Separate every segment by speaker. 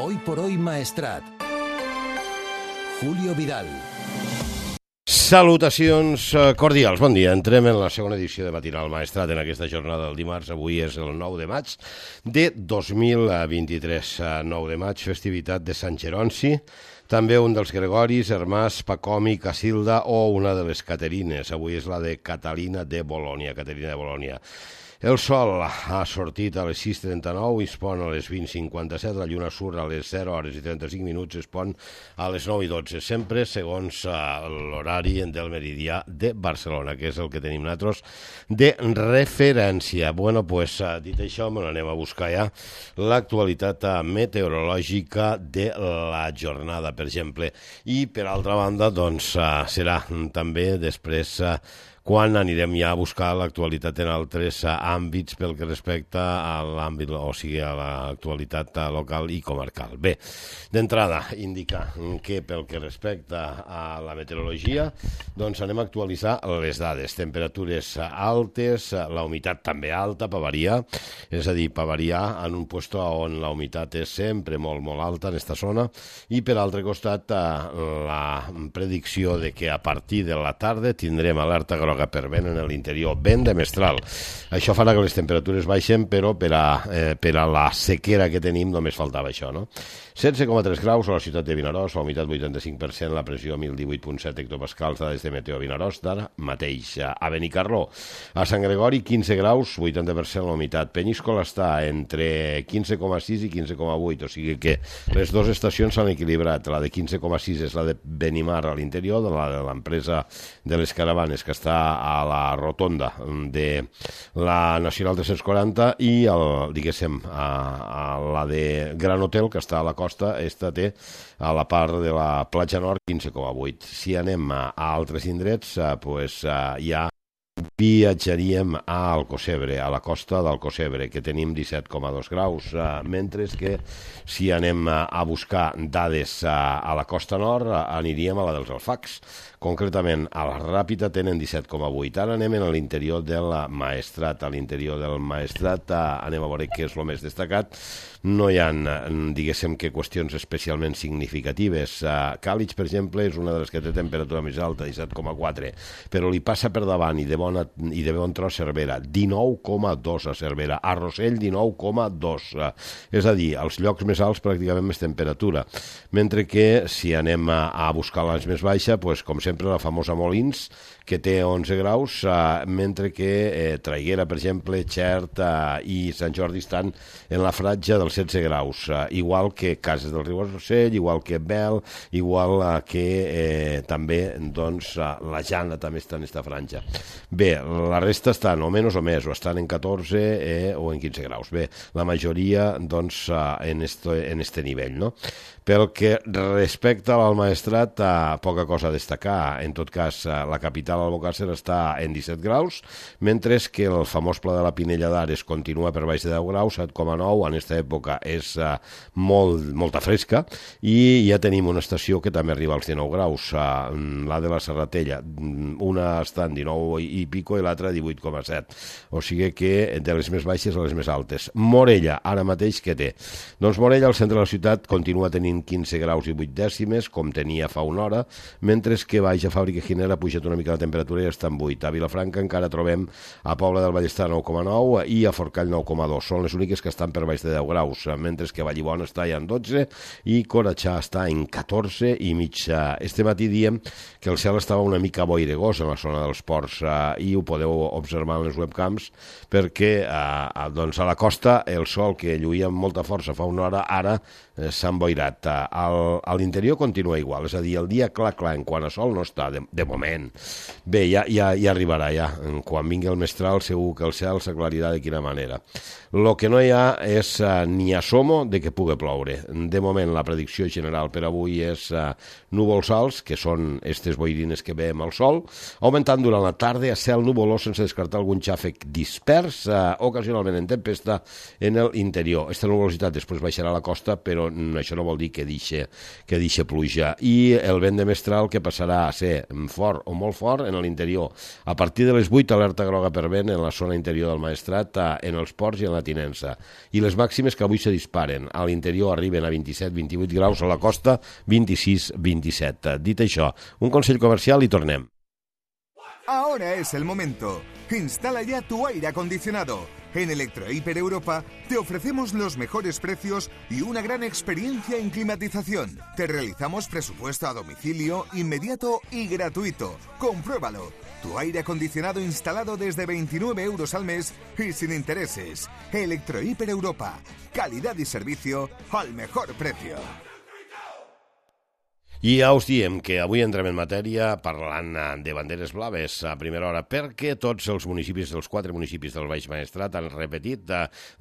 Speaker 1: Hoy por hoy Maestrat. Julio Vidal.
Speaker 2: Salutacions cordials, bon dia. Entrem en la segona edició de Matinal Maestrat en aquesta jornada del dimarts. Avui és el 9 de maig de 2023. 9 de maig, festivitat de Sant Geronci, també un dels Gregoris, Hermàs, Pacomi, Casilda o una de les Caterines. Avui és la de Caterina de Bolònia. El sol ha sortit a les 6:39 i es pon a les 20:57, la lluna surt a les 0 hores i 35 minuts, es pon a les 9:12, sempre segons l'horari del meridià de Barcelona, que és el que tenim nosaltres de referència. Bueno, pues, dit això, anem a buscar ja l'actualitat meteorològica de la jornada, per exemple. I, per altra banda, doncs, serà també després quan anirem ja a buscar l'actualitat en altres àmbits pel que respecta a l'àmbit, o sigui, a l'actualitat local i comarcal. Bé, d'entrada, indicar que pel que respecta a la meteorologia, doncs anem a actualitzar les dades. Temperatures altes, la humitat també alta, per variar, és a dir, per variar en un lloc on la humitat és sempre molt, molt alta en aquesta zona, i per altre costat, la predicció de que a partir de la tarda tindrem alerta groga per vent en l'interior, vent de mestral. Això farà que les temperatures baixen, però per a la sequera que tenim només faltava això, no? 16,3 graus a la ciutat de Vinaròs, la humitat 85%, la pressió 1018,7 hectopascals, dades de Meteo Vinaròs, d'ara mateix. A Benicarló, a Sant Gregori, 15 graus, 80% la humitat. Peníscola està entre 15,6 i 15,8, o sigui que les dues estacions s'han equilibrat. La de 15,6 és la de Benimar a l'interior, de l'empresa de les caravanes, que està a la rotonda de la Nacional 340, i diguéssim, la de Gran Hotel, que està a la costa, esta té a la part de la platja nord 15,8. Si anem a altres indrets, doncs ja viatjaríem a Alcocebre, a la costa d'Alcocebre, que tenim 17,2 graus, mentre que si anem a buscar dades a la costa nord, aniríem a la dels Alfacs. Concretament, a la Ràpita tenen 17,8. Ara anem a l'interior del Maestrat. A l'interior del Maestrat anem a veure què és el més destacat. No hi ha, diguéssim, que qüestions especialment significatives. Càlig, per exemple, és una de les que té temperatura més alta, 17,4, però li passa per davant i de bon tros Cervera, 19,2 a Cervera. A Rossell, 19,2. És a dir, als llocs més alts pràcticament més temperatura. Mentre que si anem a buscar l'anys més baixa, doncs, com sempre, la famosa Molins, que té 11 graus, mentre que Traiguera, per exemple, Xert i Sant Jordi estan en la franja dels 16 graus, igual que Cases del Riu-Rossell, igual que Bel, igual que també, doncs, la Jana també està en aquesta franja. Bé, la resta estan o menys o més, o estan en 14 o en 15 graus. Bé, la majoria, doncs, en este nivell, no? Pel que respecta al Maestrat, poca cosa a destacar. En tot cas, la capital, Albocàsser, està en 17 graus, mentre que el famós Pla de la Pinella d'Ares continua per baix de 10 graus, 7,9, en aquesta època és molta fresca, i ja tenim una estació que també arriba als 19 graus, la de la Serratella, una està en 19 i pico i l'altra 18,7, o sigui que de les més baixes a les més altes. Morella, ara mateix, què té? Doncs Morella, al centre de la ciutat, continua tenint 15 graus i 8 dècimes, com tenia fa una hora, mentre que baix a Fàbrica Ginera ha pujat una mica la temperatura i està en 8. A Vilafranca encara trobem a Pobla del Vallestar 9,9 i a Forcall 9,2. Són les úniques que estan per baix de 10 graus, mentre que Vallibona està ja en 12 i Coratxà està en 14 i mig. Este matí diem que el cel estava una mica boiregós en la zona dels ports i ho podeu observar en les webcams, perquè doncs a la costa el sol, que lluïa amb molta força fa una hora, ara s'ha emboirat. A l'interior continua igual, és a dir, el dia clar en quant a sol no està, de moment. Bé, ja arribarà, ja. Quan vingui el mestral segur que el cel s'aclarirà de quina manera. El que no hi ha és ni assomo de que pugui ploure. De moment la predicció general per avui és núvols alts, que són aquestes boirines que veiem al sol, augmentant durant la tarda a cel nuvolós sense descartar algun xàfec dispers, ocasionalment en tempesta en l'interior. Aquesta nuvolositat després baixarà a la costa, però això no vol dir que deixi pluja. I el vent de mestral que passarà a ser fort o molt fort en l'interior. A partir de les 8, alerta groga per vent en la zona interior del Maestrat, en els ports i en la tinença. I les màximes que avui se disparen. A l'interior arriben a 27-28 graus, a la costa 26-27. Dit això, un consell comercial i tornem.
Speaker 1: Ahora es el momento. Instala ya tu aire acondicionado. En Electrohiper Europa te ofrecemos los mejores precios y una gran experiencia en climatización. Te realizamos presupuesto a domicilio, inmediato y gratuito. Compruébalo. Tu aire acondicionado instalado desde 29 euros al mes y sin intereses. Electrohiper Europa. Calidad y servicio al mejor precio.
Speaker 2: I ja us diem que avui entrem en matèria parlant de banderes blaves a primera hora, perquè tots els municipis, els 4 municipis del Baix Maestrat, han repetit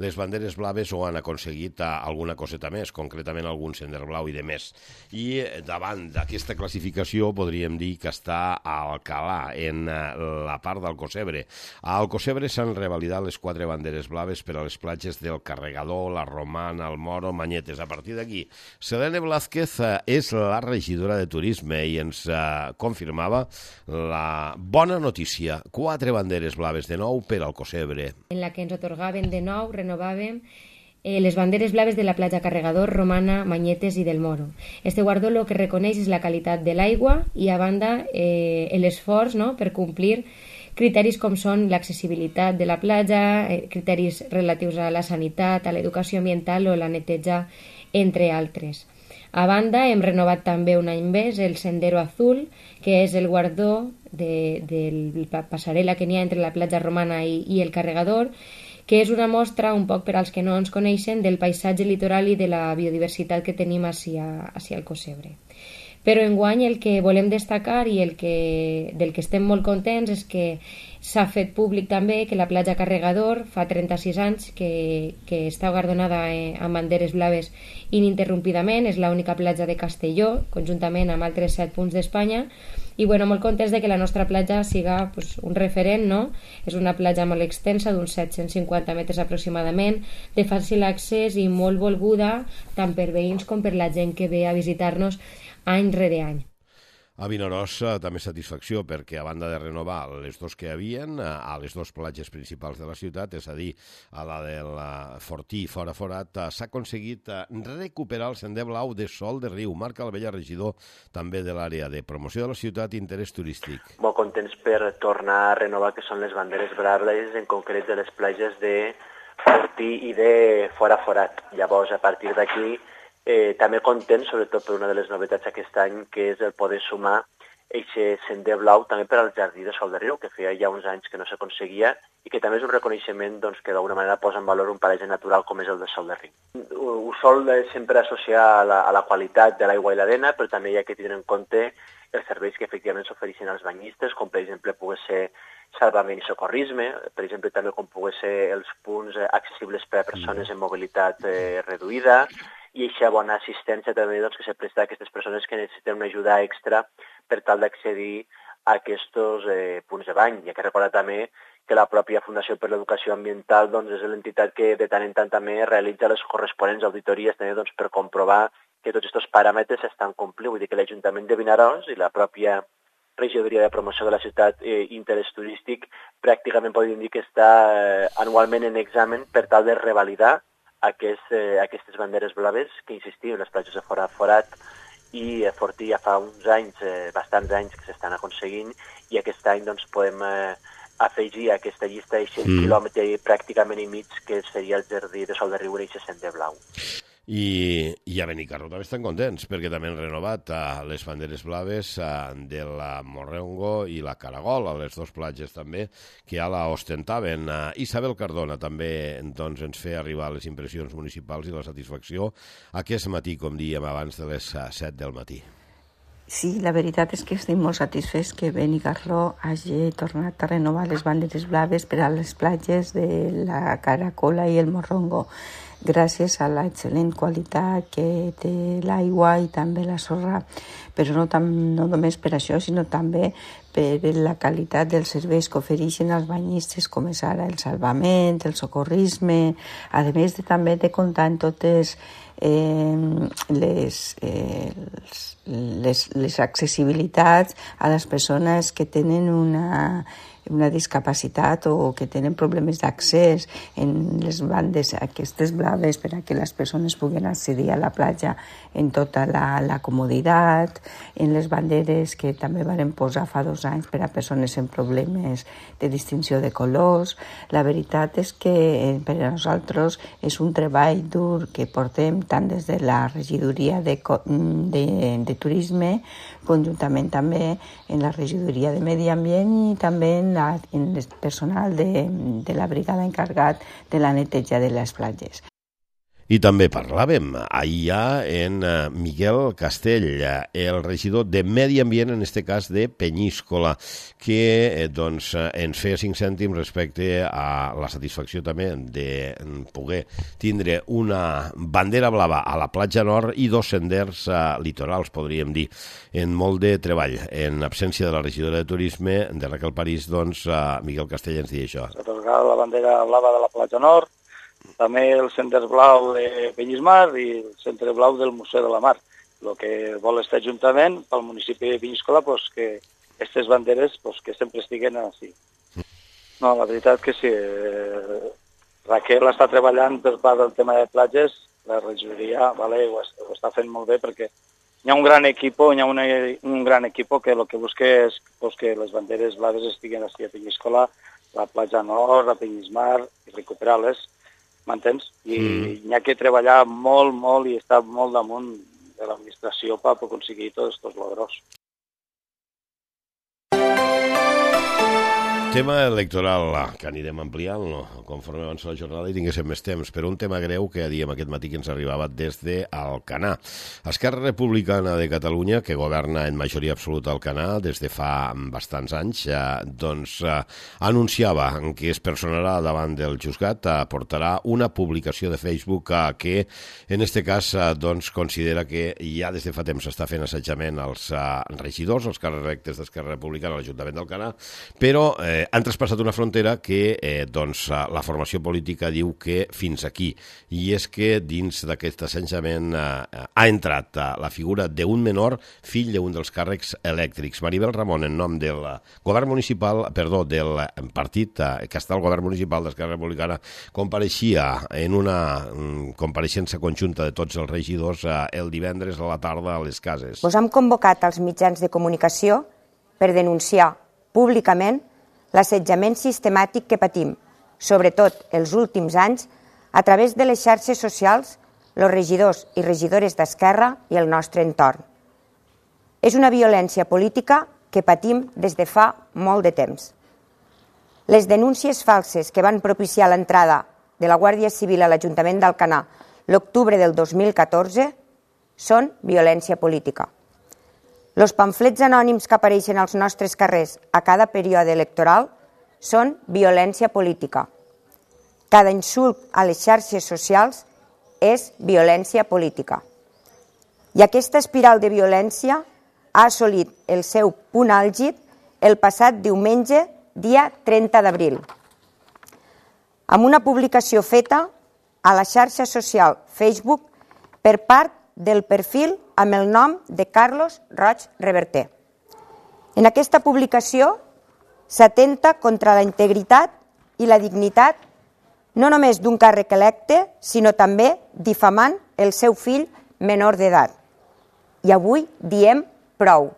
Speaker 2: les banderes blaves o han aconseguit alguna coseta més, concretament algun sender blau i de més. I davant d'aquesta classificació podríem dir que està a Alcalà, en la part d'Alcocebre. A Alcocebre s'han revalidat les 4 banderes blaves per a les platges del Carregador, la Romana, el Moro, Manyetes. A partir d'aquí, Selene Blázquez és la regidora de Turisme i ens confirmava la bona notícia. 4 banderes blaves de nou per Alcocebre.
Speaker 3: En la que ens otorgaven de nou, renovàvem les banderes blaves de la platja Carregador, Romana, Manyetes i del Moro. Este guardó lo que reconeix és la qualitat de l'aigua i, a banda, l'esforç, no?, per complir criteris com són l'accessibilitat de la platja, criteris relatius a la sanitat, a l'educació ambiental o la neteja, entre altres. A banda, hem renovat també un any més el Sendero Azul, que és el guardó de la passarel·la que n'hi ha entre la platja Romana i el Carregador, que és una mostra, un poc per als que no ens coneixen, del paisatge litoral i de la biodiversitat que tenim hacia Alcocebre. Però enguany el que volem destacar i del que estem molt contents és que s'ha fet públic també que la platja Carregador fa 36 anys que està guardonada amb banderes blaves ininterrompidament, és l'única platja de Castelló, conjuntament amb altres 7 punts d'Espanya, i molt contents de que la nostra platja siga un referent, no? És una platja molt extensa, d'uns 750 metres aproximadament, de fàcil accés i molt volguda tant per veïns com per la gent que ve a visitar-nos any rere any.
Speaker 2: A Vinaròs també satisfacció perquè, a banda de renovar les 2 que hi havien, a les 2 platges principals de la ciutat, és a dir, a la del Fortí i Fora Forat, s'ha aconseguit recuperar el sender blau de Sol de Riu. Marc Albella, regidor també de l'àrea de promoció de la ciutat i interès turístic.
Speaker 4: Molt contents per tornar a renovar que són les banderes braves, en concret de les platges de Fortí i de Fora Forat. Llavors, a partir d'aquí, també content, sobretot per una de les novetats aquest any, que és el poder sumar aquest sender blau també per al jardí de Sol de Riu, que feia ja uns anys que no s'aconseguia i que també és un reconeixement que d'alguna manera posa en valor un paratge natural com és el de Sol de Riu. Ho sol sempre associar a la qualitat de l'aigua i l'arena, però també hi ha que tenir en compte els serveis que efectivament s'ofereixen als banyistes, com per exemple pugui ser salvament i socorrisme, per exemple també com pugui ser els punts accessibles per a persones amb mobilitat reduïda, i aquesta bona assistència també que se presta a aquestes persones que necessiten una ajuda extra per tal d'accedir a aquests punts de bany. Hi ha que recordar també que la pròpia Fundació per l'Educació Ambiental és l'entitat que de tant en tant també realitza les corresponents auditories també, per comprovar que tots aquests paràmetres estan complint. Vull dir que l'Ajuntament de Vinaròs i la pròpia Regidoria de Promoció de la Ciutat i Interès Turístic pràcticament podríem dir que està anualment en examen per tal de revalidar aquestes banderes blaves que, insistim, les platges de Fora Forat i Fortí ja fa uns anys, bastants anys que s'estan aconseguint, i aquest any podem afegir a aquesta llista 100 quilòmetres pràcticament i mig que seria el jardí de Sol de Riu i sender blau.
Speaker 2: I a Benicarló també estan contents perquè també han renovat les banderes blaves de la Morrengo i la Caragol, a les 2 platges també, que ja la ostentaven. Isabel Cardona també ens feia arribar les impressions municipals i la satisfacció aquest matí, com dèiem abans, de les 7 del matí.
Speaker 5: Sí, la veritat és que estic molt satisfets que Benicarló hagi tornat a renovar les banderes blaves per a les platges de la Caracola i el Morrongo, gràcies a l'excel·lent qualitat que té l'aigua i també la sorra, però no només per això, sinó també per la qualitat dels serveis que ofereixen als banyistes, com és ara el salvament, el socorrisme, a més també de comptar en totes les accessibilitats a les persones que tenen una discapacitat o que tenen problemes d'accés en les bandes aquestes blaves per a que les persones puguen accedir a la platja en tota la comoditat, en les banderes que també van posar fa 2 anys per a persones amb problemes de distinció de colors. La veritat és que per a nosaltres és un treball dur que portem tant des de la regidoria de turisme, conjuntament també en la regidoria de medi ambient i també en el personal de la brigada encarregat de la neteja de les platges.
Speaker 2: I també parlàvem ahir en Miguel Castell, el regidor de Medi Ambient, en aquest cas de Penyíscola, que ens feia 5 cèntims respecte a la satisfacció també de poder tindre una bandera blava a la platja nord i 2 senders litorals, podríem dir, en molt de treball. En absència de la regidora de Turisme, de Raquel París, Miguel Castell ens deia això.
Speaker 6: S'atorgarà la bandera blava de la platja nord, també el Sender Blau de Penyíscola i el Centre Blau del Museu de la Mar. El que vol este Ajuntament, pel municipi de Penyíscola, que aquestes banderes que sempre estiguen així. No, la veritat que sí. Raquel està treballant per part del tema de platges, la regidoria ho està fent molt bé perquè hi ha un gran equip, que el que busca és que les banderes blaves estiguen així a Penyíscola, la platja nord, a Penyísmar, i recuperar-les. M'entens? I hi ha que treballar molt i estar molt damunt de l'administració per aconseguir tots aquests logros.
Speaker 2: Tema electoral que anirem ampliant conforme avança la jornada i tinguéssim més temps, però un tema greu que diem aquest matí que ens arribava des d'Alcanar. Esquerra Republicana de Catalunya, que governa en majoria absoluta Alcanar des de fa bastants anys, anunciava que es personarà davant del juzgat, portarà una publicació de Facebook que en aquest cas considera que ja des de fa temps s'està fent assetjament als regidors, als càrrecs electes d'Esquerra Republicana a l'Ajuntament d'Alcanar, però han traspassat una frontera que la formació política diu que fins aquí. I és que dins d'aquest assetjament ha entrat la figura d'un menor, fill d'un dels càrrecs elèctrics. Maribel Ramon, en nom del govern municipal, del partit que està al govern municipal d'Esquerra Republicana, compareixia en una compareixença conjunta de tots els regidors el divendres a la tarda a les cases.
Speaker 7: Us hem convocat als mitjans de comunicació per denunciar públicament l'assetjament sistemàtic que patim, sobretot els últims anys, a través de les xarxes socials, els regidors i regidores d'Esquerra i el nostre entorn. És una violència política que patim des de fa molt de temps. Les denúncies falses que van propiciar l'entrada de la Guàrdia Civil a l'Ajuntament d'Alcanar l'octubre del 2014 són violència política. Els pamflets anònims que apareixen als nostres carrers a cada període electoral són violència política. Cada insult a les xarxes socials és violència política. I aquesta espiral de violència ha assolit el seu punt àlgid el passat diumenge, dia 30 d'abril, amb una publicació feta a la xarxa social Facebook per part del perfil amb el nom de Carlos Roig Reverter. En aquesta publicació s'atenta contra la integritat i la dignitat no només d'un càrrec electe, sinó també difamant el seu fill menor d'edat. I avui diem prou.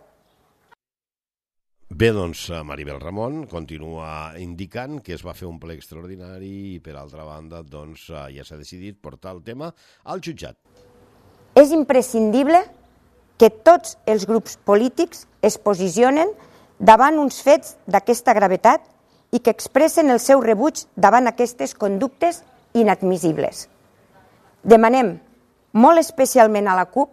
Speaker 2: Bé, Maribel Ramon continua indicant que es va fer un ple extraordinari i, per altra banda, ja s'ha decidit portar el tema al jutjat.
Speaker 7: És imprescindible que tots els grups polítics es posicionen davant uns fets d'aquesta gravetat i que expressen el seu rebuig davant aquestes conductes inadmissibles. Demanem molt especialment a la CUP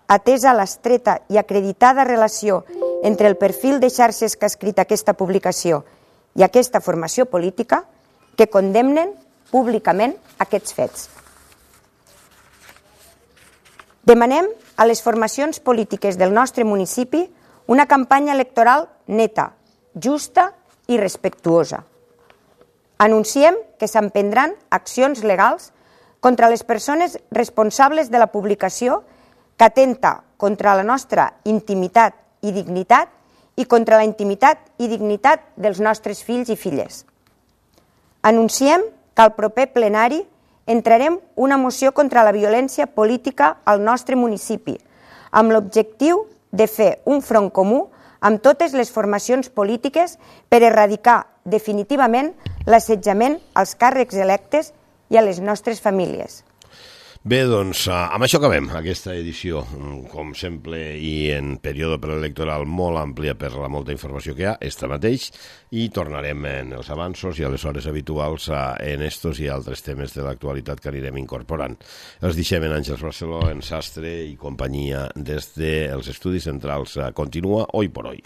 Speaker 7: atesa l'estreta i acreditada relació entre el perfil de xarxes que ha escrit aquesta publicació i aquesta formació política, que condemnen públicament aquests fets. Demanem a les formacions polítiques del nostre municipi una campanya electoral neta, justa i respectuosa. Anunciem que s'emprendran accions legals contra les persones responsables de la publicació que atenta contra la nostra intimitat i dignitat i contra la intimitat i dignitat dels nostres fills i filles. Anunciem que al proper plenari entrarem una moció contra la violència política al nostre municipi, amb l'objectiu de fer un front comú amb totes les formacions polítiques per erradicar definitivament l'assetjament als càrrecs electes i a les nostres famílies.
Speaker 2: Bé, doncs, amb això acabem aquesta edició, com sempre, i en període preelectoral molt àmplia per la molta informació que hi ha, esta mateix, i tornarem en els avanços i a les hores habituals en estos i altres temes de l'actualitat que anirem incorporant. Els deixem en Àngels Barceló, en Sastre i companyia des dels estudis centrals. Continua Hoy por Hoy.